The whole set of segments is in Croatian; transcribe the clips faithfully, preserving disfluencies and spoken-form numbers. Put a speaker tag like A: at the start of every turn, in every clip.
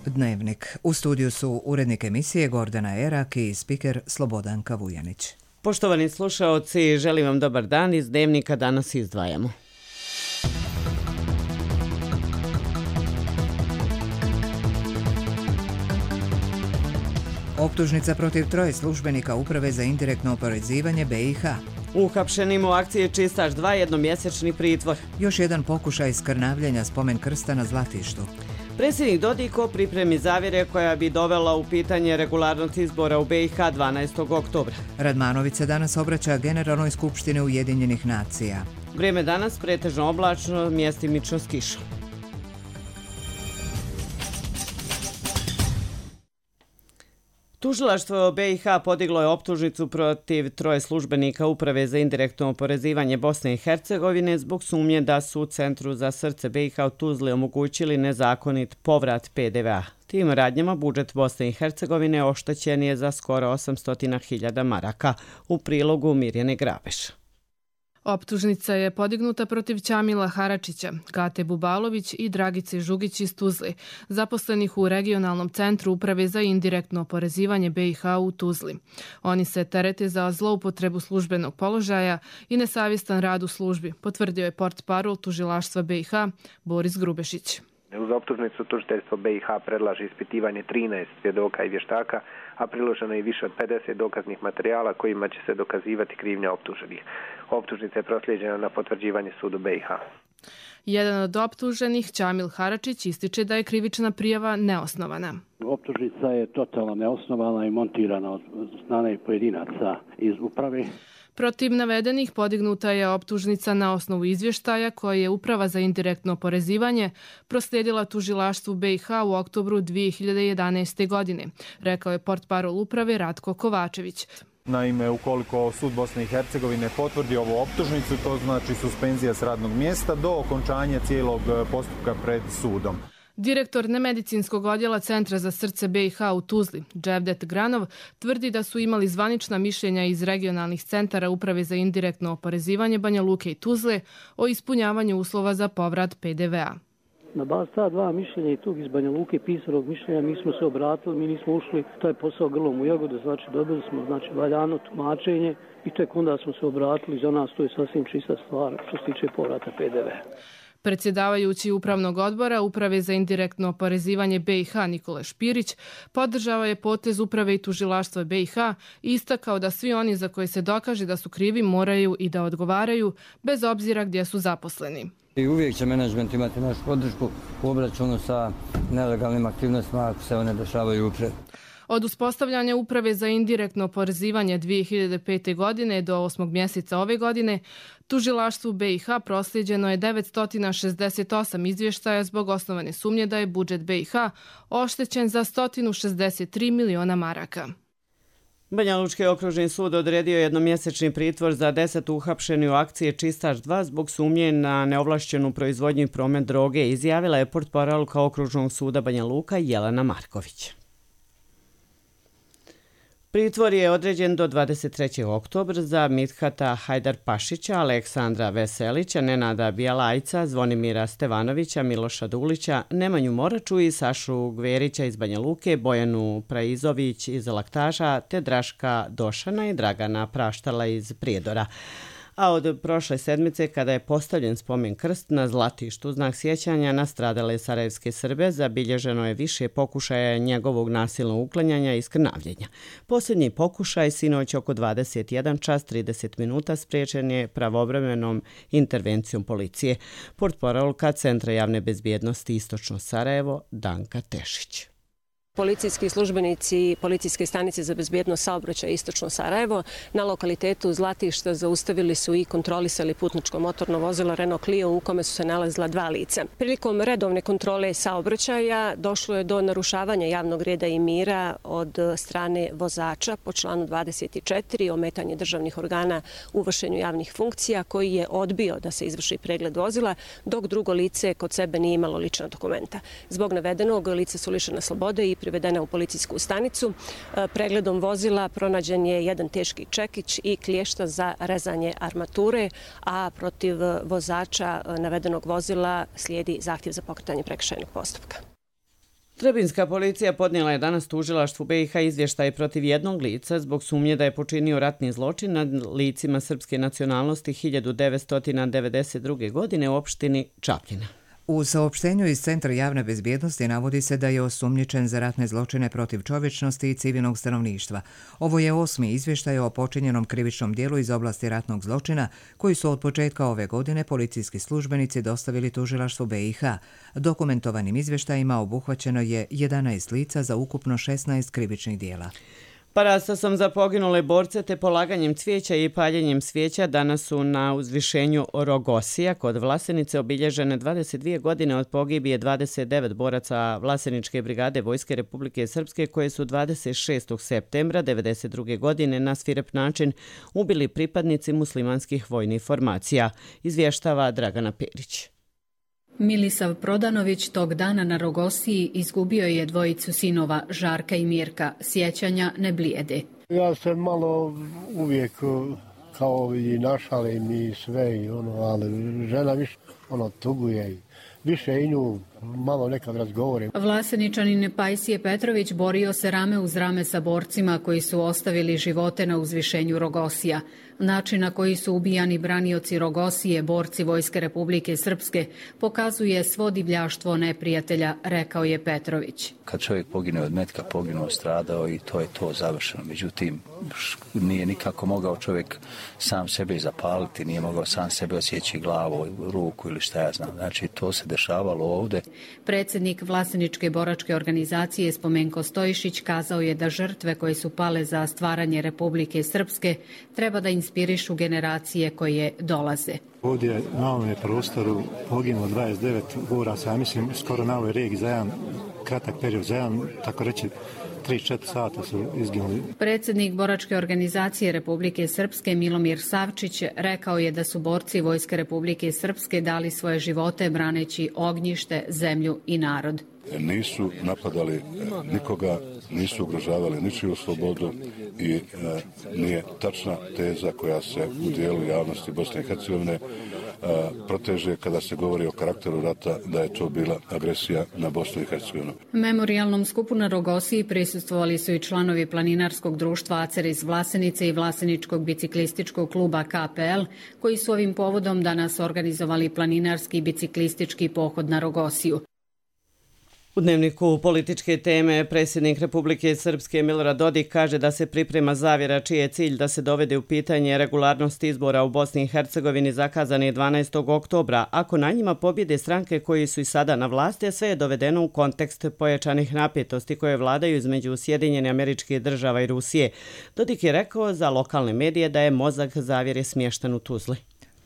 A: Dnevnik. U studiju su urednik emisije Gordana Erak i spiker Slobodanka Vujanić.
B: Poštovani slušaoci, želim vam dobar dan. Iz Dnevnika danas izdvajamo.
A: Optužnica protiv troje službenika Uprave za indirektno oporezivanje B i H.
B: Uhapšenim u akciji Čistač dva jednomjesečni pritvor.
A: Još jedan pokušaj skrnavljenja spomen krsta na Zlatištu.
B: Predsjednik Dodiko pripremi zavjere koja bi dovela u pitanje regularnost izbora u B i H dvanaestog oktobra.
A: Radmanović se danas obraća Generalnoj skupštini Ujedinjenih nacija.
B: Vrijeme danas pretežno oblačno, mjestimično s kišom. Tužilaštvo B i H podiglo je optužnicu protiv troje službenika Uprave za indirektno oporezivanje Bosne i Hercegovine zbog sumnje da su u Centru za srce B i H u Tuzli omogućili nezakonit povrat P D V A. Tim radnjama budžet Bosne i Hercegovine oštećen je za skoro osamsto hiljada maraka, u prilogu Mirjane Grabeš.
C: Optužnica je podignuta protiv Ćamila Haračića, Kate Bubalović i Dragice Žugić iz Tuzli, zaposlenih u regionalnom centru Uprave za indirektno oporezivanje B i H u Tuzli. Oni se terete za zloupotrebu službenog položaja i nesavjestan rad u službi, potvrdio je portparol tužilaštva B i H Boris Grubešić.
D: Uz optužnicu tužiteljstvo B i H predlaže ispitivanje trinaest svjedoka i vještaka, a priloženo je više od pedeset dokaznih materijala kojima će se dokazivati krivnja optuženih. Optužnica je proslijeđena na potvrđivanje sudu B i H.
C: Jedan od optuženih, Ćamil Haračić, ističe da je krivična prijava neosnovana.
E: Optužnica je totalno neosnovana i montirana od strane pojedinaca iz uprave.
C: Protiv navedenih podignuta je optužnica na osnovu izvještaja koje je Uprava za indirektno oporezivanje proslijedila tužilaštvu B i H u oktobru dvije hiljade jedanaeste. godine, rekao je portparol uprave Ratko Kovačević.
F: Naime, ukoliko sud Bosne i Hercegovine potvrdi ovu optužnicu, to znači suspenzija s radnog mjesta do okončanja cijelog postupka pred sudom.
C: Direktor nemedicinskog odjela Centra za srce B i H u Tuzli, Dževdet Granov, tvrdi da su imali zvanična mišljenja iz regionalnih centara Uprave za indirektno oporezivanje Banja Luke i Tuzle o ispunjavanju uslova za povrat P D V A.
E: Na bazi ta dva mišljenja i tog iz Banja Luke pisanog mišljenja mi smo se obratili, mi nismo ušli, to je posao grlom u jagodu, znači dobili smo znači, valjano tumačenje i tek onda smo se obratili, za nas to je sasvim čista stvar što se tiče povrata P D V A.
C: Predsjedavajući Upravnog odbora Uprave za indirektno oporezivanje B i H Nikola Špirić podržava je potez Uprave i tužilaštva B i H i istakao da svi oni za koje se dokaže da su krivi moraju i da odgovaraju bez obzira gdje su zaposleni.
G: I uvijek će menadžment imati našu podršku u obračunu sa nelegalnim aktivnostima ako se one dešavaju upred.
C: Od uspostavljanja Uprave za indirektno oporezivanje dvije hiljade pete. godine do osmog mjeseca ove godine, tužilaštvu B i H proslijeđeno je devetsto šezdeset osam izvještaja zbog osnovane sumnje da je budžet B i H oštećen za sto šezdeset tri miliona maraka.
B: Banja Lučki okružni sud odredio jednomjesečni pritvor za deset uhapšeni u akciji Čistač dva zbog sumnje na neovlašćenu proizvodnju i promet droge, izjavila je portparolka okružnog suda Banja Luka Jelena Marković. Pritvor je određen do dvadeset trećeg oktobra za Mithata Hajdarpašića, Aleksandra Veselića, Nenada Bijalajca, Zvonimira Stevanovića, Miloša Dulića, Nemanju Moraču i Sašu Gverića iz Banja Luke, Bojanu Praizović iz Laktaža, te Draška Došana i Dragana Praštala iz Prijedora. A od prošle sedmice, kada je postavljen spomen krst na Zlatištu znak sjećanja na stradale sarajevske Srbe, zabilježeno je više pokušaja njegovog nasilnog uklanjanja i skrnavljenja. Posljednji pokušaj, sinoć oko dvadeset jedan čas trideset minuta, spriječen je pravovremenom intervencijom policije. Portparolka Centra javne bezbjednosti Istočno Sarajevo, Danka Tešić.
H: Policijski službenici Policijske stanice za bezbjednost saobraćaja Istočno Sarajevo na lokalitetu Zlatišta zaustavili su i kontrolisali putničko motorno vozilo Renault Clio u kome su se nalazila dva lica. Prilikom redovne kontrole saobraćaja došlo je do narušavanja javnog reda i mira od strane vozača po članu dvadeset četiri, ometanje državnih organa u vršenju javnih funkcija, koji je odbio da se izvrši pregled vozila, dok drugo lice kod sebe nije imalo lična dokumenta. Zbog navedenog lice su lišena slobode i privedena u policijsku stanicu. Pregledom vozila pronađen je jedan teški čekić i klješta za rezanje armature, a protiv vozača navedenog vozila slijedi zahtjev za pokretanje prekršajnog postupka.
B: Trebinska policija podnijela je danas tužilaštvu B i H izvještaj protiv jednog lica zbog sumnje da je počinio ratni zločin nad licima srpske nacionalnosti hiljadu devetsto devedeset druge. godine u opštini Čapljina.
A: U saopštenju iz Centra javne bezbjednosti navodi se da je osumnjičen za ratne zločine protiv čovječnosti i civilnog stanovništva. Ovo je osmi izvještaj o počinjenom krivičnom dijelu iz oblasti ratnog zločina koji su od početka ove godine policijski službenici dostavili tužilaštvu B i H. Dokumentovanim izvještajima obuhvaćeno je jedanaest lica za ukupno šesnaest krivičnih dijela.
B: Parastasom za poginule borce te polaganjem cvijeća i paljenjem svijeća danas su na uzvišenju Rogosija kod Vlasenice obilježene dvadeset dvije godine od pogibije dvadeset devet boraca Vlaseničke brigade Vojske Republike Srpske koje su dvadeset šestog septembra devedeset druge. godine na svirep način ubili pripadnici muslimanskih vojnih formacija, izvještava Dragana Perić.
I: Milisav Prodanović tog dana na Rogosiji izgubio je dvojicu sinova Žarka i Mirka. Sjećanja ne blijede.
J: Ja se malo uvijek kao i našalim i sve, i ono, ali žena više ono, tuguje i više i nju malo nekad razgovorim.
I: Vlaseničanin Pajsije Petrović borio se rame uz rame sa borcima koji su ostavili živote na uzvišenju Rogosija. Način na koji su ubijani branioci Rogosije, borci Vojske Republike Srpske, pokazuje svo divljaštvo neprijatelja, rekao je Petrović.
K: Kad čovjek pogine od metka, poginuo, stradao i to je to završeno. Međutim, nije nikako mogao čovjek sam sebe zapaliti, nije mogao sam sebe osjeći glavu, ruku ili šta ja znam. Znači, to se dešavalo ovdje.
I: Predsjednik Vlaseničke boračke organizacije Spomenko Stojišić kazao je da žrtve koje su pale za stvaranje Republike Srpske treba da inspirišu generacije koje dolaze.
L: Ovdje na ovome prostoru poginulo dvadeset devet boraca, ja mislim skoro na ovoj regiji za jedan kratak period, za jedan, tako reći, tri četiri sata su izginuli.
I: Predsjednik boračke organizacije Republike Srpske Milomir Savčić rekao je da su borci Vojske Republike Srpske dali svoje živote braneći ognjište, zemlju i narod.
M: Nisu napadali nikoga, nisu ugrožavali ničiju slobodu i e, nije tačna teza koja se u dijelu javnosti Bosne i Hercegovine e, proteže kada se govori o karakteru rata da je to bila agresija na Bosnu i Hercegovinu.
I: Memorijalnom skupu na Rogosiji prisustvovali su i članovi planinarskog društva Acer iz Vlasenice i Vlaseničkog biciklističkog kluba K P L, koji su ovim povodom danas organizovali planinarski i biciklistički pohod na Rogosiju.
B: U dnevniku političke teme predsjednik Republike Srpske Milorad Dodik kaže da se priprema zavjera čiji je cilj da se dovede u pitanje regularnost izbora u Bosni i Hercegovini zakazani dvanaestog oktobra, ako na njima pobjede stranke koji su i sada na vlasti, a sve je dovedeno u kontekst pojačanih napetosti koje vladaju između Sjedinjenih Američkih Država i Rusije. Dodik je rekao za lokalne medije da je mozak zavjere smješten u Tuzli.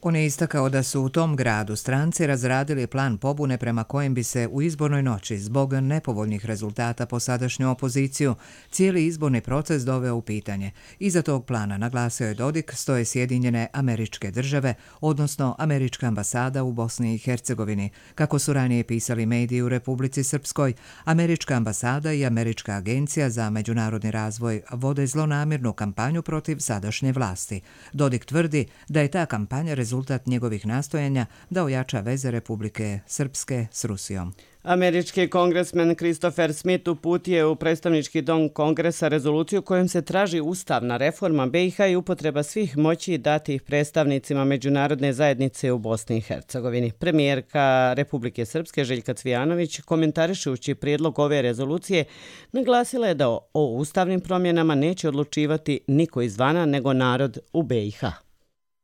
A: On je istakao da su u tom gradu stranci razradili plan pobune prema kojem bi se u izbornoj noći zbog nepovoljnih rezultata po sadašnju opoziciju cijeli izborni proces doveo u pitanje. Iza tog plana, naglasio je Dodik, stoje Sjedinjene Američke Države, odnosno Američka ambasada u Bosni i Hercegovini. Kako su ranije pisali mediji u Republici Srpskoj, Američka ambasada i Američka agencija za međunarodni razvoj vode zlonamjernu kampanju protiv sadašnje vlasti. Dodik tvrdi da je ta kampanja rezultat njegovih nastojanja da ojača veze Republike Srpske s Rusijom.
B: Američki kongresmen Christopher Smith uputio u predstavnički dom Kongresa rezoluciju kojom se traži ustavna reforma B i H i upotreba svih moći datih predstavnicima međunarodne zajednice u Bosni i Hercegovini. Premijerka Republike Srpske Željka Cvijanović, komentarišući prijedlog ove rezolucije, naglasila je da o ustavnim promjenama neće odlučivati niko izvana nego narod u B i H.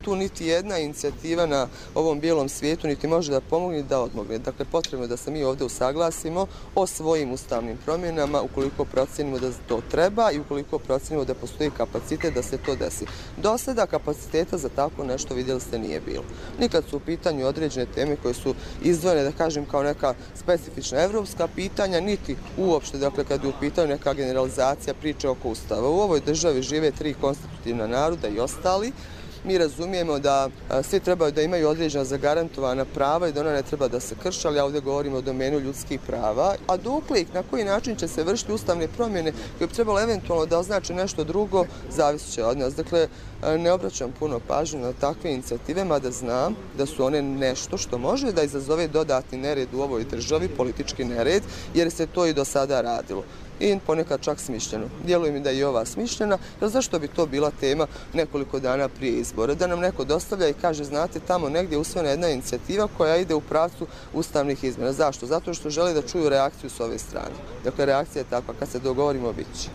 N: Tu niti jedna inicijativa na ovom bijelom svijetu niti može da pomogne da odmogne. Dakle, potrebno je da se mi ovdje usaglasimo o svojim ustavnim promjenama ukoliko procenimo da to treba i ukoliko procenimo da postoji kapacitet da se to desi. Do sada kapaciteta za tako nešto, vidjeli ste, nije bilo. Nikad su u pitanju određene teme koje su izdvojene, da kažem, kao neka specifična evropska pitanja, niti uopšte, dakle, kad je u pitanju neka generalizacija priče oko ustava. U ovoj državi žive tri konstitutivna naroda i ostali. Mi razumijemo da svi trebaju da imaju određena zagarantovana prava i da ona ne treba da se krši, ali ja ovdje govorimo o domenu ljudskih prava. A dokle i na koji način će se vršiti ustavne promjene koje bi trebalo eventualno da označe nešto drugo, zavisit će od nas. Dakle, ne obraćam puno pažnju na takve inicijative, mada znam da su one nešto što može da izazove dodatni nered u ovoj državi, politički nered, jer se to i do sada radilo. I ponekad čak smišljeno. Djeluje mi da je i ova smišljena, jer zašto bi to bila tema nekoliko dana prije izbora? Da nam neko dostavlja i kaže, znate, tamo negdje je usvojena jedna inicijativa koja ide u pravcu ustavnih izmjena. Zašto? Zato što žele da čuju reakciju s ove strane. Dakle, reakcija je takva, kad se dogovorimo, bit će.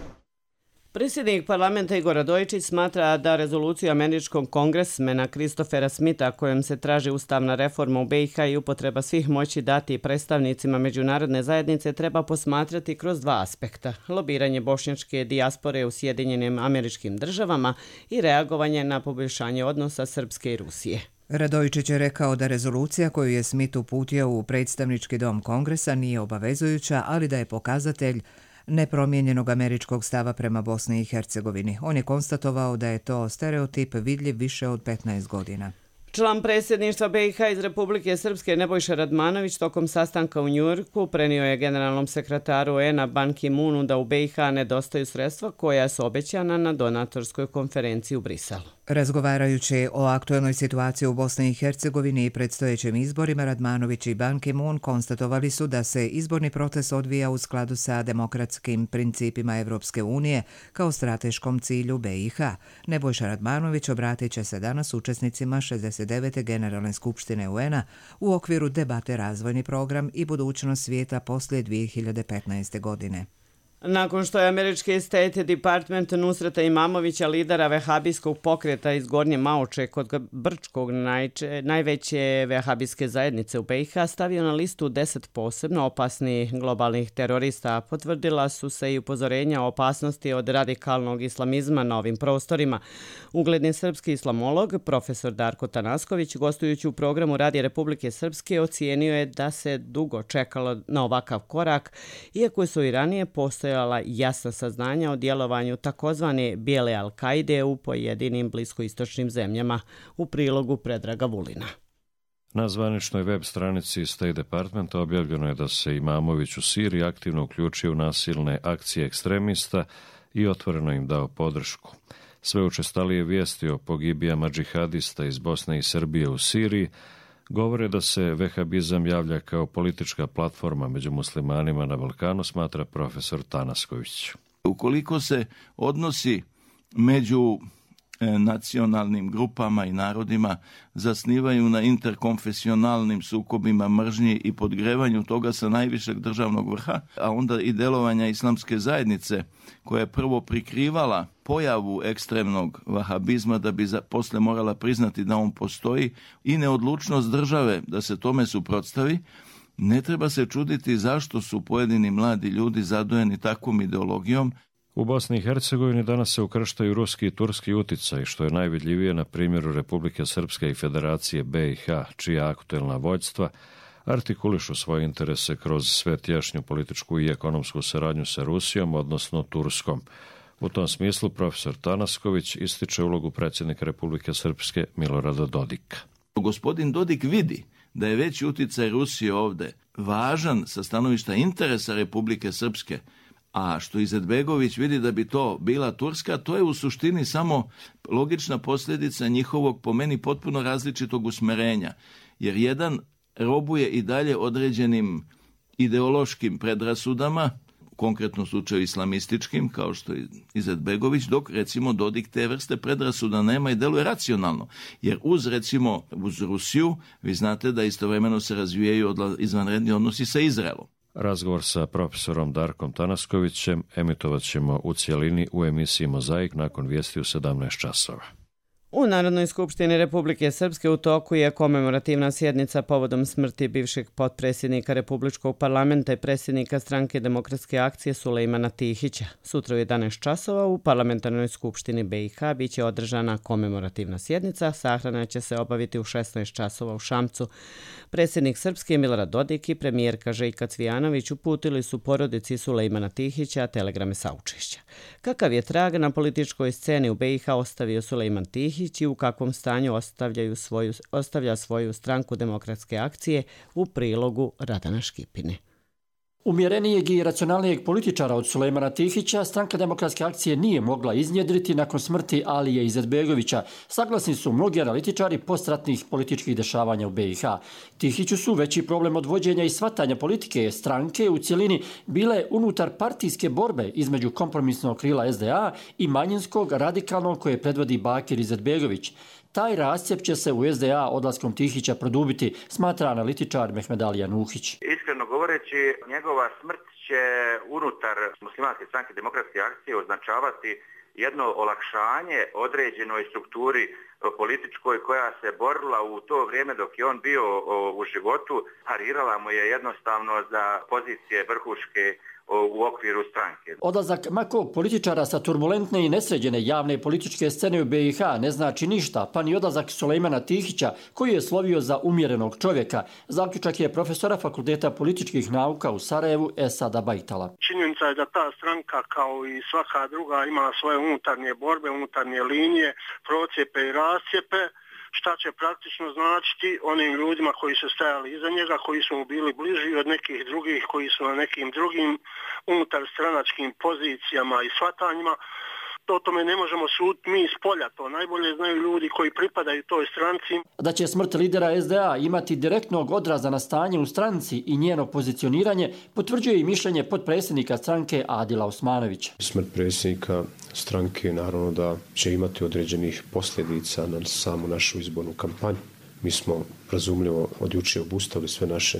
B: Predsjednik parlamenta Igor Radojičić smatra da rezoluciju američkog kongresmena Christophera Smitha kojom se traži ustavna reforma u be i ha i upotreba svih moći dati predstavnicima međunarodne zajednice treba posmatrati kroz dva aspekta. Lobiranje bošnjačke dijaspore u Sjedinjenim Američkim Državama i reagovanje na poboljšanje odnosa Srpske i Rusije.
A: Radojičić je rekao da rezolucija koju je Smith uputio u predstavnički dom Kongresa nije obavezujuća, ali da je pokazatelj nepromijenjenog američkog stava prema Bosni i Hercegovini. On je konstatovao da je to stereotip vidljiv više od petnaest godina.
B: Član predsjedništva be i ha iz Republike Srpske Nebojša Radmanović tokom sastanka u Njujorku prenio je generalnom sekretaru u en a Ban Ki-moonu da u be i ha nedostaju sredstva koja su obećana na donatorskoj konferenciji u Briselu.
A: Razgovarajući o aktuelnoj situaciji u Bosni i Hercegovini i predstojećim izborima, Radmanović i Ban Ki-moon konstatovali su da se izborni proces odvija u skladu sa demokratskim principima Evropske unije kao strateškom cilju be i ha. Nebojša Radmanović obratit će se danas učesnicima šezdeset devete Generalne skupštine u en a u okviru debate Razvojni program i budućnost svijeta poslije dvije hiljade petnaeste. godine.
B: Nakon što je američki State Department Nusreta Imamovića, lidera vehabijskog pokreta iz Gornje Maoče kod Brčkog, najče, najveće vehabijske zajednice u be i ha, stavio na listu deset posebno opasnih globalnih terorista, potvrdila su se i upozorenja o opasnosti od radikalnog islamizma na ovim prostorima. Ugledni srpski islamolog, profesor Darko Tanasković, gostujući u programu Radija Republike Srpske, ocijenio je da se dugo čekalo na ovakav korak, iako su i ranije postojali jasna saznanja o djelovanju takozvane bijele Al-Kaide u pojedinim bliskoistočnim zemljama, u prilogu Predraga Vulina.
O: Na zvaničnoj web stranici State Departmenta objavljeno je da se Imamović u Siriji aktivno uključio u nasilne akcije ekstremista i otvoreno im dao podršku. Sve učestalije vijesti o pogibijama džihadista iz Bosne i Srbije u Siriji govore da se vehabizam javlja kao politička platforma među muslimanima na Balkanu, smatra profesor Tanasković.
P: Ukoliko se odnosi među nacionalnim grupama i narodima zasnivaju na interkonfesionalnim sukobima mržnji i podgrevanju toga sa najvišeg državnog vrha, a onda i delovanja islamske zajednice koja je prvo prikrivala pojavu ekstremnog vahabizma da bi za, posle morala priznati da on postoji i neodlučnost države da se tome suprotstavi, ne treba se čuditi zašto su pojedini mladi ljudi zadojeni takvom ideologijom.
O: U Bosni i Hercegovini danas se ukrštaju ruski i turski uticaj, što je najvidljivije na primjeru Republike Srpske i Federacije be i ha, čija aktuelna vođstva artikulišu svoje interese kroz sve tješnju političku i ekonomsku saradnju sa Rusijom, odnosno Turskom. U tom smislu profesor Tanasković ističe ulogu predsjednika Republike Srpske Milorada Dodika.
P: Gospodin Dodik vidi da je veći uticaj Rusije ovdje važan sa stanovišta interesa Republike Srpske, a što Izetbegović vidi da bi to bila Turska, to je u suštini samo logična posljedica njihovog, po meni, potpuno različitog usmerenja. Jer jedan robuje i dalje određenim ideološkim predrasudama, konkretno u slučaju islamističkim, kao što je Izetbegović, dok recimo Dodik te vrste predrasuda nema i deluje racionalno. Jer uz recimo uz Rusiju, vi znate da istovremeno se razvijaju izvanredni odnosi sa Izraelom.
O: Razgovor sa profesorom Darkom Tanaskovićem emitovat ćemo u cjelini u emisiji Mozaik nakon vijesti u sedamnaest časova.
B: U Narodnoj skupštini Republike Srpske u toku je komemorativna sjednica povodom smrti bivšeg potpredsjednika Republičkog parlamenta i predsjednika Stranke demokratske akcije Sulejmana Tihića. Sutra u jedanaest časova u Parlamentarnoj skupštini be i ha biće održana komemorativna sjednica. Sahrana će se obaviti u šesnaest časova u Šamcu. Predsjednik Srpske Milorad Dodik i premijerka Željka Cvijanović uputili su porodici Sulejmana Tihića telegrame saučešća. Kakav je trag na političkoj sceni u be i ha ostavio Sulejman Tihić Tihić i u kakvom stanju ostavljaju svoju, ostavlja svoju stranku Demokratske akcije u prilogu Radana Škipine.
Q: Umjerenijeg i racionalnijeg političara od Sulejmana Tihića stranka Demokratske akcije nije mogla iznjedriti nakon smrti Alije Izetbegovića. Saglasni su mnogi analitičari postratnih političkih dešavanja u B i H. Tihiću su veći problem od vođenja i shvatanja politike stranke u cjelini bile unutar partijske borbe između kompromisnog krila S D A i manjinskog radikalnog koje predvodi Bakir Izetbegović. Taj rascjep će se u S D A odlaskom Tihića produbiti, smatra analitičar Mehmedalija Nuhić.
R: Iskreno govoreći, njegova smrt će unutar muslimanske stranke Demokratske akcije označavati jedno olakšanje određenoj strukturi političkoj koja se borila u to vrijeme dok je on bio u životu, parirala mu je jednostavno za pozicije vrhuške u okviru stranke.
Q: Odlazak makog političara sa turbulentne i nesređene javne političke scene u B i H ne znači ništa, pa ni odlazak Sulejmana Tihića koji je slovio za umjerenog čovjeka. Zaključak je profesora Fakulteta političkih nauka u Sarajevu Esada Bajtala.
S: Činjenica je da ta stranka kao i svaka druga ima svoje unutarnje borbe, unutarnje linije, procijepe i rascijepe, šta će praktično značiti onim ljudima koji su stajali iza njega, koji su mu bili bliži od nekih drugih, koji su na nekim drugim unutar stranačkim pozicijama i shvatanjima. O tome ne možemo suditi mi iz polja, to najbolje znaju ljudi koji pripadaju toj stranci.
Q: Da će smrt lidera S D A imati direktnog odraza na stanje u stranci i njeno pozicioniranje, potvrđuje i mišljenje potpredsjednika stranke Adila Osmanovića.
T: Smrt predsjednika stranke naravno da će imati određenih posljedica na samu našu izbornu kampanju. Mi smo razumljivo od jučer obustavili sve naše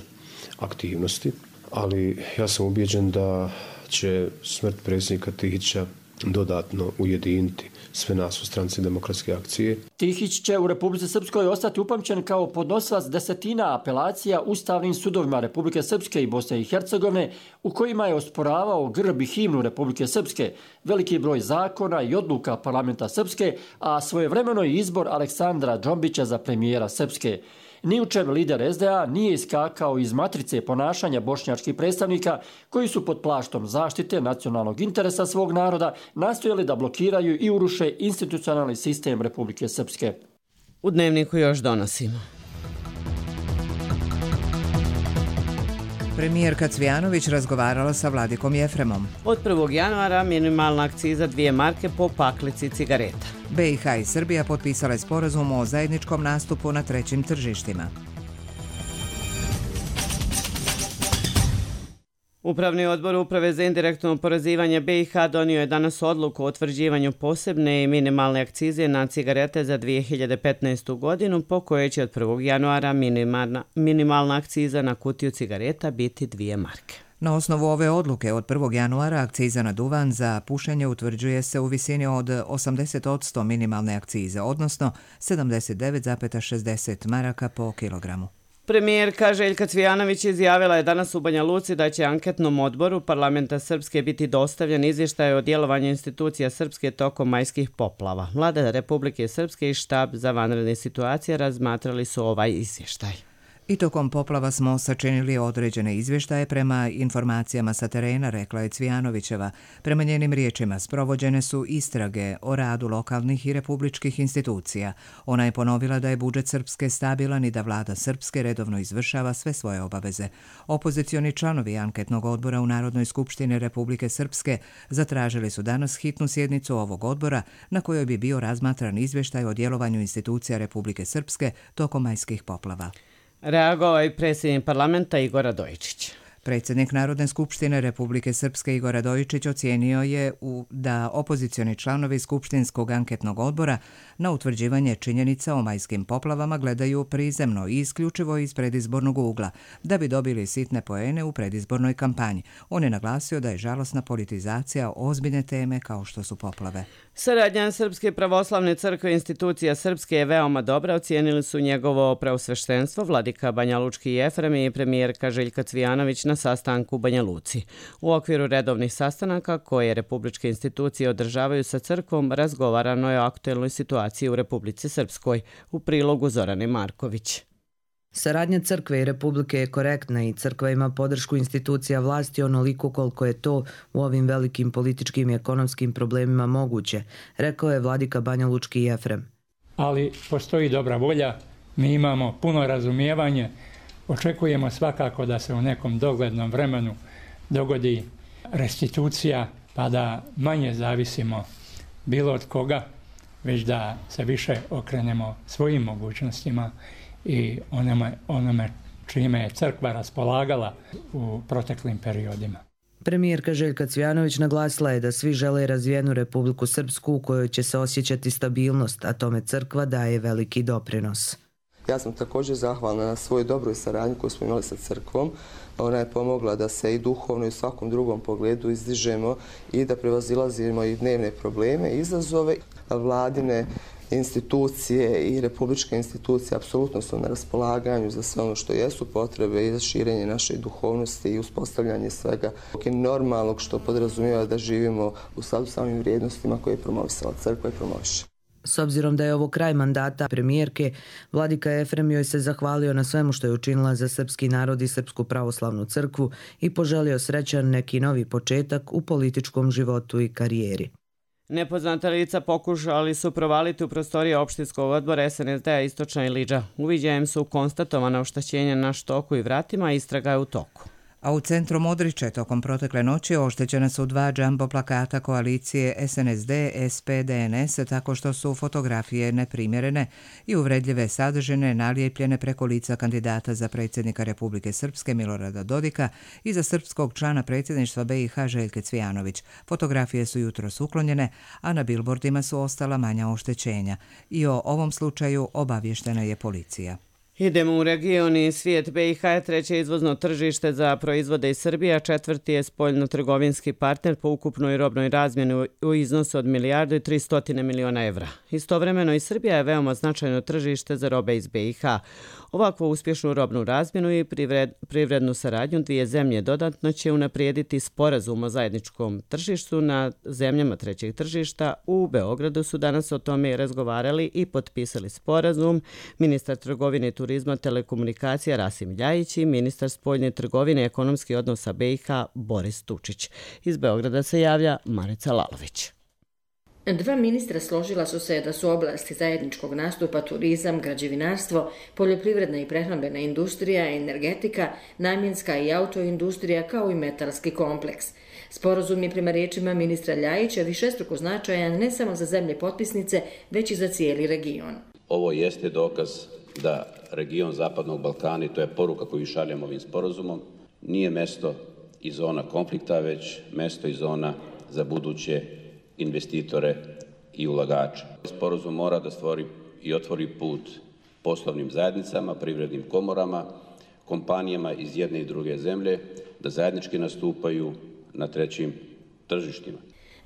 T: aktivnosti, ali ja sam ubijeđen da će smrt predsjednika Tihića dodatno ujediniti sve nas u stranci Demokratske akcije.
Q: Tihić će u Republici Srpskoj ostati upamćen kao podnosilac desetina apelacija ustavnim sudovima Republike Srpske i Bosne i Hercegovine u kojima je osporavao grb i himnu Republike Srpske, veliki broj zakona i odluka parlamenta Srpske, a svojevremeno i izbor Aleksandra Džombića za premijera Srpske. Ni u čem lider S D A nije iskakao iz matrice ponašanja bošnjačkih predstavnika koji su pod plaštom zaštite nacionalnog interesa svog naroda nastojali da blokiraju i uruše institucionalni sistem Republike Srpske.
B: U Dnevniku još donosimo.
A: Premijerka Cvijanović razgovarala sa Vladikom Jefremom.
B: Od prvog januara minimalna akciza dvije marke po paklici cigareta.
A: B i H i Srbija potpisale sporazum o zajedničkom nastupu na trećim tržištima.
B: Upravni odbor Uprave za indirektno oporezivanje B i H donio je danas odluku o utvrđivanju posebne i minimalne akcize na cigarete za dvije hiljade petnaestu. godinu, po kojoj će od prvog januara minimalna, minimalna akciza na kutiju cigareta biti dvije marke.
A: Na osnovu ove odluke od prvog januara akciza na duvan za pušenje utvrđuje se u visini od osamdeset posto minimalne akcize, odnosno sedamdeset devet zarez šezdeset maraka po kilogramu.
B: Premijerka Željka Cvijanović izjavila je danas u Banja Luci da će anketnom odboru parlamenta Srpske biti dostavljen izvještaj o djelovanju institucija Srpske tokom majskih poplava. Vlada Republike Srpske i štab za vanredne situacije razmatrali su ovaj izvještaj.
A: I tokom poplava smo sačinili određene izvještaje prema informacijama sa terena, rekla je Cvijanovićeva. Prema njenim riječima sprovođene su istrage o radu lokalnih i republičkih institucija. Ona je ponovila da je budžet Srpske stabilan i da vlada Srpske redovno izvršava sve svoje obaveze. Opozicioni članovi anketnog odbora u Narodnoj skupštini Republike Srpske zatražili su danas hitnu sjednicu ovog odbora na kojoj bi bio razmatran izvještaj o djelovanju institucija Republike Srpske tokom majskih poplava.
B: Reagovao je predsjednik parlamenta Igor Radojičić.
A: Predsjednik Narodne skupštine Republike Srpske Igor Radojičić ocijenio je u, da opozicioni članovi Skupštinskog anketnog odbora na utvrđivanje činjenica o majskim poplavama gledaju prizemno i isključivo iz predizbornog ugla, da bi dobili sitne poene u predizbornoj kampanji. On je naglasio da je žalosna politizacija ozbiljne teme kao što su poplave.
B: Saradnja Srpske pravoslavne crkve i institucija Srpske je veoma dobra, ocijenili su njegovo preosveštenstvo vladika Banja Lučki Jefrem i premijerka Željka Cvijanović na sastanku u Banja Luci. U okviru redovnih sastanaka koje republičke institucije održavaju sa crkvom, razgovarano je o aktuelnoj situaciji u Republici Srpskoj, u prilogu Zorane Marković.
U: Saradnja crkve i republike je korektna i crkva ima podršku institucija vlasti onoliko koliko je to u ovim velikim političkim i ekonomskim problemima moguće, rekao je vladika Banja Lučki Jefrem.
D: ali postoji dobra volja, mi imamo puno razumijevanje, očekujemo svakako da se u nekom doglednom vremenu dogodi restitucija, pa da manje zavisimo bilo od koga, već da se više okrenemo svojim mogućnostima i onome, onome čime je crkva raspolagala u proteklim periodima.
U: Premijerka Željka Cvijanović naglasila je da svi žele razvijenu Republiku Srpsku u kojoj će se osjećati stabilnost, a tome crkva daje veliki doprinos.
N: Ja sam također zahvalna na svoj dobroj saradnji koju smo imali sa crkvom. Ona je pomogla da se i duhovno i u svakom drugom pogledu izdižemo i da prevazilazimo i dnevne probleme, izazove. Vladine institucije i republičke institucije apsolutno su na raspolaganju za sve ono što jesu potrebe i za širenje naše duhovnosti i uspostavljanje svega normalnog što podrazumijeva da živimo u skladu s samim vrijednostima koje je promovisala crkva i promoviše.
U: S obzirom da je ovo kraj mandata premijerke, vladika Efrem joj se zahvalio na svemu što je učinila za srpski narod i Srpsku pravoslavnu crkvu i poželio srećan neki novi početak u političkom životu i karijeri.
B: Nepoznata lica pokušali su provaliti u prostorije opštinskog odbora S N S D-a Istočna Iliđa. Uviđajem su konstatovana oštećenja na štoku i vratima, istraga je u toku.
A: A u centru Modriče tokom protekle noći oštećena su dva džambo plakata koalicije S N S D, S P D N S tako što su fotografije neprimjerene i uvredljive sadržine nalijepljene preko lica kandidata za predsjednika Republike Srpske Milorada Dodika i za srpskog člana predsjedništva B i H Željke Cvijanović. Fotografije su jutros uklonjene, a na bilbordima su ostala manja oštećenja. I o ovom slučaju obavještena je policija.
B: Idemo u region i svijet. B i H je treće izvozno tržište za proizvode iz Srbije, a četvrti je spoljno-trgovinski partner po ukupnoj robnoj razmjeni u iznosu od milijardu i tristotine miliona evra. Istovremeno i Srbija je veoma značajno tržište za robe iz B i H. Ovakvu uspješnu robnu razmjenu i privrednu saradnju dvije zemlje dodatno će unaprijediti sporazum o zajedničkom tržištu na zemljama trećeg tržišta. U Beogradu su danas o tome razgovarali i potpisali sporazum ministar trgovine i turizma telekomunikacija Rasim Ljajić i ministar spoljne trgovine i ekonomskih odnosa B i H Boris Tučić. Iz Beograda se javlja Marica Lalović.
V: Dva ministra složila su se da su oblasti zajedničkog nastupa turizam, građevinarstvo, poljoprivredna i prehrambena industrija, energetika, namjenska i autoindustrija kao i metalski kompleks. Sporazum je prema riječima ministra Ljajića višestruko značajan ne samo za zemlje potpisnice, već i za cijeli region.
W: Ovo jeste dokaz da region Zapadnog Balkana, i to je poruka koju šaljemo ovim sporazumom, nije mesto i zona konflikta, već mesto i zona za buduće investitore i ulagače. Sporazum mora da stvori i otvori put poslovnim zajednicama, privrednim komorama, kompanijama iz jedne i druge zemlje da zajednički nastupaju na trećim tržištima.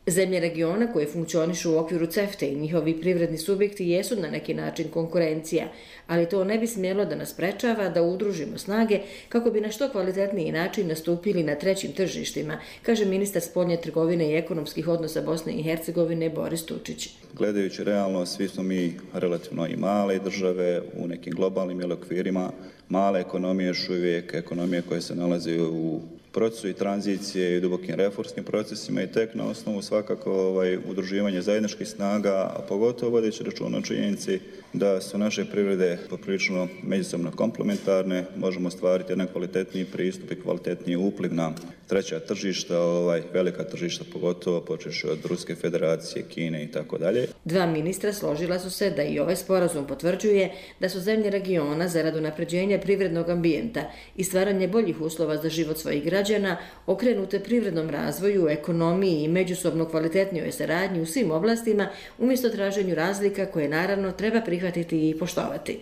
V: Zemlje regiona koje funkcionišu u okviru CEFTA i njihovi privredni subjekti jesu na neki način konkurencija, ali to ne bi smjelo da nas sprečava da udružimo snage kako bi na što kvalitetniji način nastupili na trećim tržištima, kaže ministar spoljne trgovine i ekonomskih odnosa Bosne i Hercegovine Boris Tučić.
X: Gledajući realno, svi smo mi relativno i male države u nekim globalnim okvirima, male ekonomije još uvijek, ekonomije koje se nalaze u procesu i tranzicije i dubokim reformskim procesima i tek na osnovu svakako ovaj, udruživanja zajedničkih snaga, a pogotovo vodeći računa o činjenici da su naše privrede poprilično međusobno komplementarne, možemo stvariti jedan kvalitetniji pristup i kvalitetniji upliv na treća tržišta, ovaj, velika tržišta pogotovo počevši od Ruske federacije, Kine i tako dalje.
V: Dva ministra složila su se da i ovaj sporazum potvrđuje da su zemlje regiona zarad unapređenja privrednog ambijenta i stvaranje boljih uslova za život svojih građana okrenute privrednom razvoju, ekonomiji i međusobno kvalitetnijoj saradnji u svim oblastima umjesto traženju razlika koje naravno treba prihvatiti i poštovati.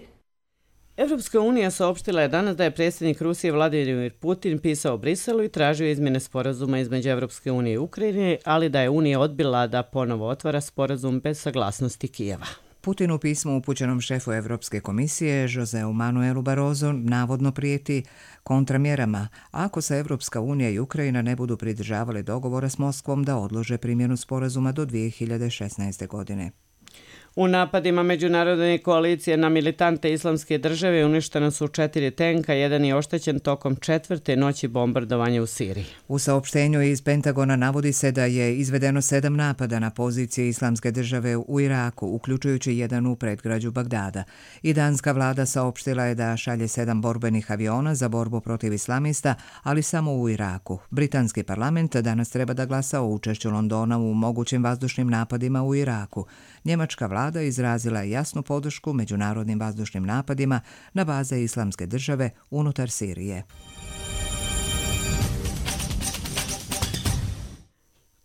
B: Evropska unija saopštila je danas da je predsjednik Rusije Vladimir Putin pisao Briselu i tražio izmjene sporazuma između Evropske unije i Ukrajine, ali da je Unija odbila da ponovo otvara sporazum bez saglasnosti Kijeva.
A: Putin u pismu upućenom šefu Evropske komisije Joseu Manuelu Barroso navodno prijeti kontramjerama ako se Evropska unija i Ukrajina ne budu pridržavali dogovora s Moskvom da odlože primjenu sporazuma do dvije hiljade šesnaeste. godine.
B: U napadima međunarodne koalicije na militante islamske države uništena su četiri tenka, jedan je oštećen tokom četvrte noći bombardovanja u Siriji.
A: U saopštenju iz Pentagona navodi se da je izvedeno sedam napada na pozicije islamske države u Iraku, uključujući jedan u predgrađu Bagdada. I danska vlada saopštila je da šalje sedam borbenih aviona za borbu protiv islamista, ali samo u Iraku. Britanski parlament danas treba da glasa o učešću Londona u mogućim vazdušnim napadima u Iraku. Njemačka vlada izrazila je jasnu podršku međunarodnim vazdušnim napadima na baze islamske države unutar Sirije.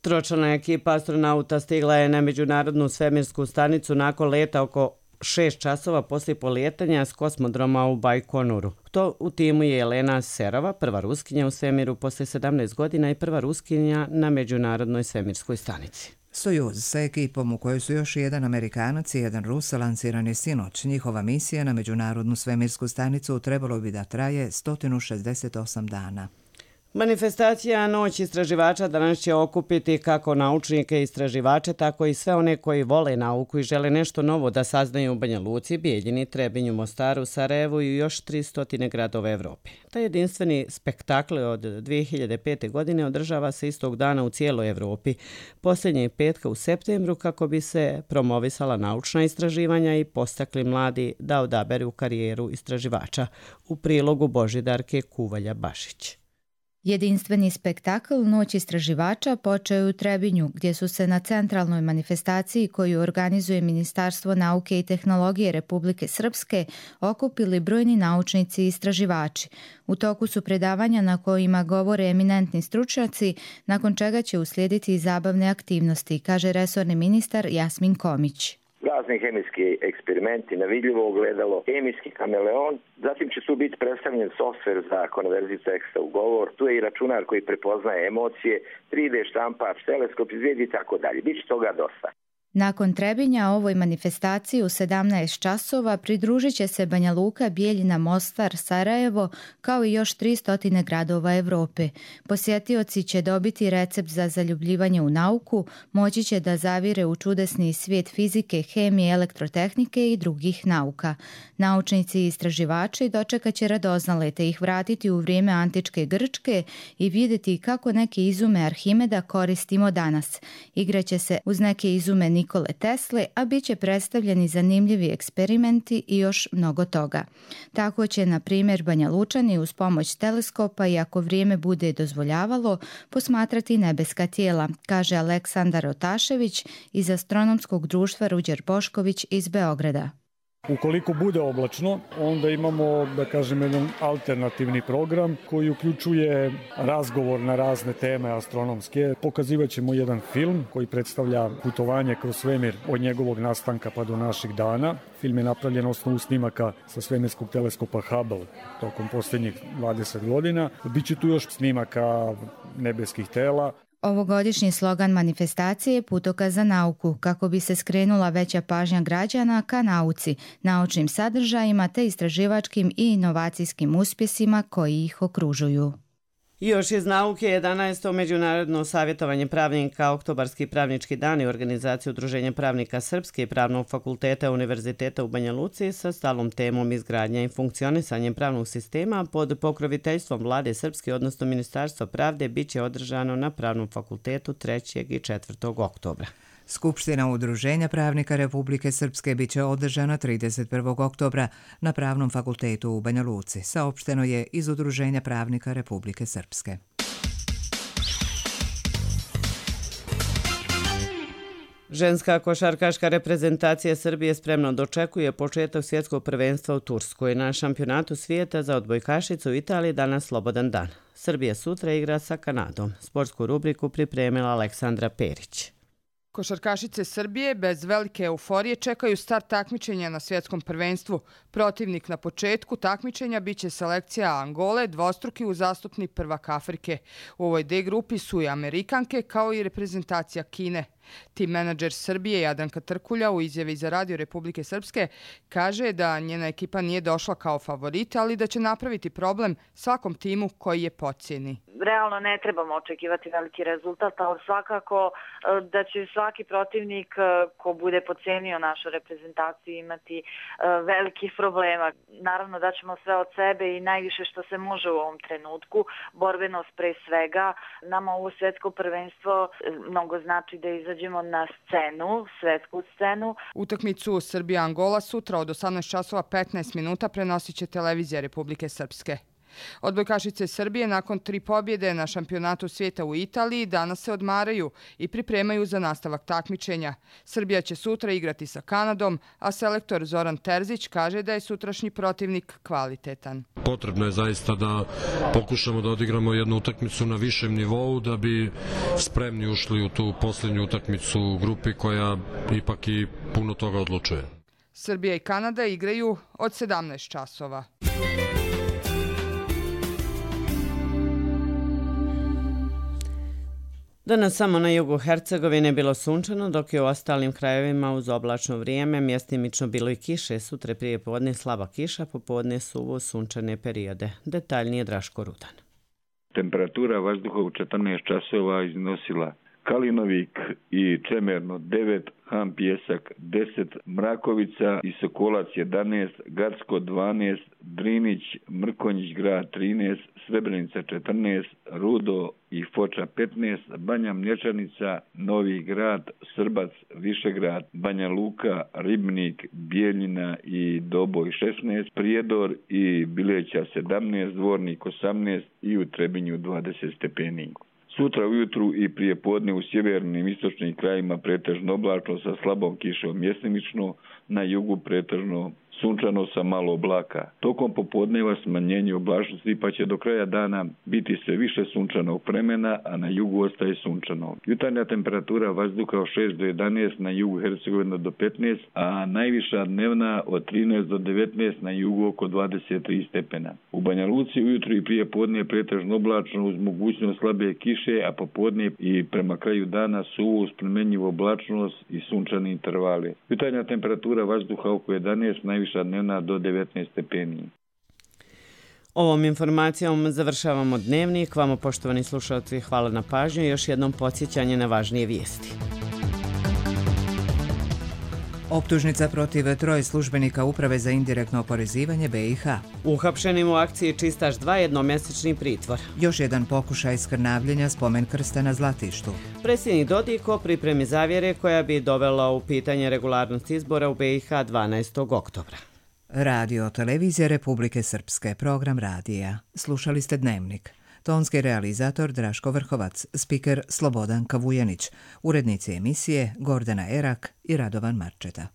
B: Tročlana ekipa astronauta stigla je na međunarodnu svemirsku stanicu nakon leta oko šest časova poslije polijetanja s kosmodroma u Bajkonuru. To u timu je Elena Serova, prva ruskinja u svemiru poslije sedamnaest godina i prva ruskinja na međunarodnoj svemirskoj stanici.
A: Sojuz sa ekipom u kojoj su još jedan Amerikanac i jedan Rus lansiran je sinoć. Njihova misija na međunarodnu svemirsku stanicu trebalo bi da traje sto šezdeset osam dana.
B: Manifestacija Noć istraživača danas će okupiti kako naučnike i istraživače, tako i sve one koji vole nauku i žele nešto novo da saznaju u Banja Luci, Bijeljini, Trebinju, Mostaru, Sarajevu i još tristo gradova Evrope. Taj jedinstveni spektakl od dvije hiljade pete. godine održava se istog dana u cijeloj Evropi, posljednje petka u septembru, kako bi se promovisala naučna istraživanja i postakli mladi da odaberu karijeru istraživača. U prilogu Božidarke Kuvalja-Bašić.
C: Jedinstveni spektakl Noć istraživača počeo je u Trebinju, gdje su se na centralnoj manifestaciji koju organizuje Ministarstvo nauke i tehnologije Republike Srpske okupili brojni naučnici i istraživači. U toku su predavanja na kojima govore eminentni stručnjaci, nakon čega će uslijediti i zabavne aktivnosti, kaže resorni ministar Jasmin Komić.
E: Razni hemijski eksperimenti, nevidljivo ogledalo, hemijski kameleon, zatim će tu biti predstavljen softver za konverziju teksta u govor, tu je i računar koji prepoznaje emocije, tri de štampač, teleskop, izvijedi i tako dalje. Biće toga dosta.
C: Nakon Trebinja ovoj manifestaciji u sedamnaest časova pridružit će se Banja Luka, Bijeljina, Mostar, Sarajevo, kao i još tristo gradova Evrope. Posjetioci će dobiti recept za zaljubljivanje u nauku, moći će da zavire u čudesni svijet fizike, hemije, elektrotehnike i drugih nauka. Naučnici i istraživači dočekat će radoznale te ih vratiti u vrijeme antičke Grčke i vidjeti kako neke izume Arhimeda koristimo danas. Igraće se uz neke izume Nikole Tesle, a bit će predstavljeni zanimljivi eksperimenti i još mnogo toga. Tako će, na primjer, Banja Lučani uz pomoć teleskopa i ako vrijeme bude dozvoljavalo, posmatrati nebeska tijela, kaže Aleksandar Otašević iz Astronomskog društva Ruđer Bošković iz Beograda.
F: Ukoliko bude oblačno, onda imamo, da kažem, jedan alternativni program koji uključuje razgovor na razne teme astronomske. Pokazivat ćemo jedan film koji predstavlja putovanje kroz svemir od njegovog nastanka pa do naših dana. Film je napravljen na osnovu snimaka sa svemirskog teleskopa Hubble tokom posljednjih dvadeset godina. Biće tu još snimaka nebeskih tela.
C: Ovogodišnji slogan manifestacije je Putokaz za nauku, kako bi se skrenula veća pažnja građana ka nauci, naučnim sadržajima te istraživačkim i inovacijskim uspjesima koji ih okružuju.
B: Još iz nauke jedanaesto međunarodno savjetovanje pravnika, Oktobarski pravnički dan i organizacija Udruženja pravnika Srpske i Pravnog fakulteta Univerziteta u Banja Luci sa stalnom temom izgradnja i funkcionisanje pravnog sistema pod pokroviteljstvom Vlade Srpske, odnosno Ministarstva pravde, bit će održano na Pravnom fakultetu trećeg i četvrtog oktobra.
A: Skupština Udruženja pravnika Republike Srpske bit će održana trideset prvog oktobra na Pravnom fakultetu u Banja Luci, saopšteno je iz Udruženja pravnika Republike Srpske.
B: Ženska košarkaška reprezentacija Srbije spremno dočekuje početak svjetskog prvenstva u Turskoj. Na šampionatu svijeta za odbojkašicu u Italiji danas slobodan dan. Srbija sutra igra sa Kanadom. Sportsku rubriku pripremila Aleksandra Perić.
G: Košarkašice Srbije bez velike euforije čekaju start takmičenja na svjetskom prvenstvu. Protivnik na početku takmičenja biće selekcija Angole, dvostruki uzastopni prvak Afrike. U ovoj D grupi su i Amerikanke kao i reprezentacija Kine. Tim menadžer Srbije Jadranka Trkulja u izjavi za Radio Republike Srpske kaže da njena ekipa nije došla kao favorit, ali da će napraviti problem svakom timu koji je podcijeni.
H: Realno ne trebamo očekivati veliki rezultat, ali svakako da će svaki protivnik ko bude podcijenio našu reprezentaciju imati velikih problema. Naravno da ćemo sve od sebe i najviše što se može u ovom trenutku, borbenost pre svega. Nama ovo svjetsko prvenstvo mnogo znači da izađemo na scenu, svjetsku scenu.
G: Utakmicu Srbija-Angola sutra od osamnaest časova petnaest minuta prenosit će televizija Republike Srpske. Odbojkašice Srbije nakon tri pobjede na šampionatu svijeta u Italiji danas se odmaraju i pripremaju za nastavak takmičenja. Srbija će sutra igrati sa Kanadom, a selektor Zoran Terzić kaže da je sutrašnji protivnik kvalitetan.
J: Potrebno je zaista da pokušamo da odigramo jednu utakmicu na višem nivou da bi spremni ušli u tu posljednju utakmicu u grupi koja ipak i puno toga odlučuje.
G: Srbija i Kanada igraju od sedamnaest časova.
B: Danas samo na jugu Hercegovine bilo sunčano, dok je u ostalim krajevima uz oblačno vrijeme mjestimično bilo i kiše. Sutra prije podne slaba kiša, popodne suvo sunčane periode. Detaljnije Draško Rudan.
K: Temperatura vazduha u četrnaest časova iznosila Kalinovik i Čemerno devet, Han Pjesak deset, Mrakovica i Sokolac jedanaest, Gacko dvanaest, Drinić, Mrkonjić grad trinaest, Srebrenica četrnaest, Rudo i Foča petnaest, Banja Mlječanica, Novi grad, Srbac, Višegrad, Banja Luka, Ribnik, Bijeljina i Doboj šesnaest, Prijedor i Bileća sedamnaest, Dvornik osamnaest i u Trebinju dvadeset stepeni. Sutra ujutru i prije podne u sjevernim istočnim krajima pretežno oblačno sa slabom kišom mjestimično, na jugu pretežno sunčano sa malo oblaka. Tokom popodneva smanjenje oblačnosti pa će do kraja dana biti sve više sunčanog vremena, a na jugu ostaje sunčano. Jutarnja temperatura vazduha od šest do jedanaest, na jugu Hercegovina do petnaest, a najviša dnevna od trinaest do devetnaest, na jugu oko dvadeset tri stepena. U Banja Luci ujutru i prije podne pretežno oblačno uz mogućnost slabe kiše, a popodne i prema kraju dana suvo uz promenjivu oblačnost i sunčani intervali. Jutarnja temperatura vazduha oko jedanaest, najviša dnevna do devetnaest stepeni.
B: Ovom informacijom završavamo dnevnik. Vama, poštovani slušalci, hvala na pažnju i još jednom podsjećanje na važnije vijesti.
A: Optužnica protiv troje službenika Uprave za indirektno oporezivanje B i H.
B: Uhapšenim u akciji Čistaš dva jednomjesečni pritvor.
A: Još jedan pokušaj skrnavljenja spomen krsta na Zlatištu.
B: Predsjednik Dodik o pripremi zavjere koja bi dovela u pitanje regularnost izbora u B i H dvanaestog oktobra.
A: Radio Televizija Republike Srpske, program radija. Slušali ste Dnevnik. Tonski realizator Draško Vrhovac, spiker Slobodan Kavujanić, urednici emisije Gordana Erak i Radovan Marčeta.